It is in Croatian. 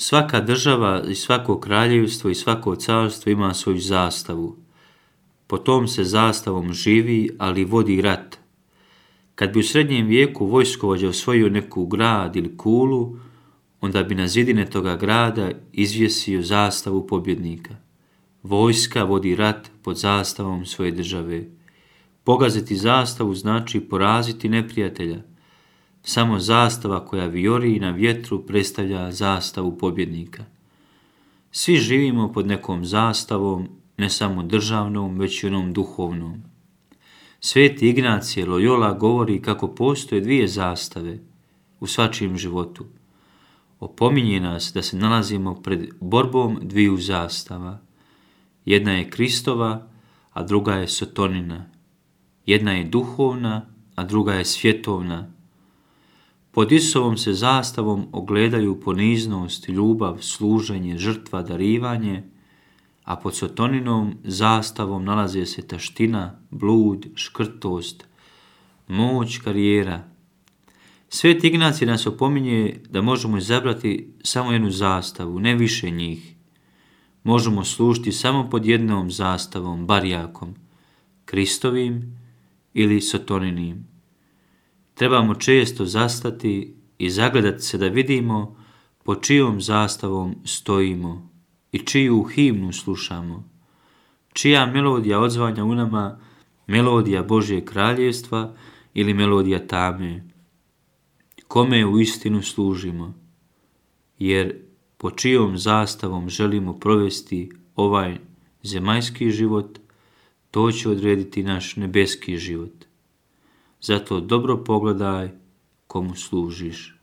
Svaka država i svako kraljevstvo i svako carstvo ima svoju zastavu. Po tom se zastavom živi, ali vodi rat. Kad bi u srednjem vijeku vojskovođa osvojio neku grad ili kulu, onda bi na zidine toga grada izvjesio zastavu pobjednika. Vojska vodi rat pod zastavom svoje države. Pogaziti zastavu znači poraziti neprijatelja. Samo zastava koja vijori na vjetru predstavlja zastavu pobjednika. Svi živimo pod nekom zastavom, ne samo državnom, već i onom duhovnom. Sveti Ignacije Loyola govori kako postoje dvije zastave u svačijem životu. Opominje nas da se nalazimo pred borbom dviju zastava. Jedna je Kristova, a druga je Sotonina. Jedna je duhovna, a druga je svjetovna. Pod Isusovom se zastavom ogledaju poniznost, ljubav, služenje, žrtva, darivanje, a pod Sotoninom zastavom nalaze se taština, blud, škrtost, moć, karijera. Sveti Ignacij nas opominje da možemo izabrati samo jednu zastavu, ne više njih. Možemo služiti samo pod jednom zastavom, barjakom, Kristovim ili Sotoninim. Trebamo često zastati i zagledati se da vidimo pod čijom zastavom stojimo i čiju himnu slušamo. Čija melodija odzvanja u nama, melodija Božjeg kraljevstva ili melodija tame. Kome u istinu služimo, jer pod čijom zastavom želimo provesti ovaj zemaljski život, to će odrediti naš nebeski život. Zato dobro pogledaj komu služiš.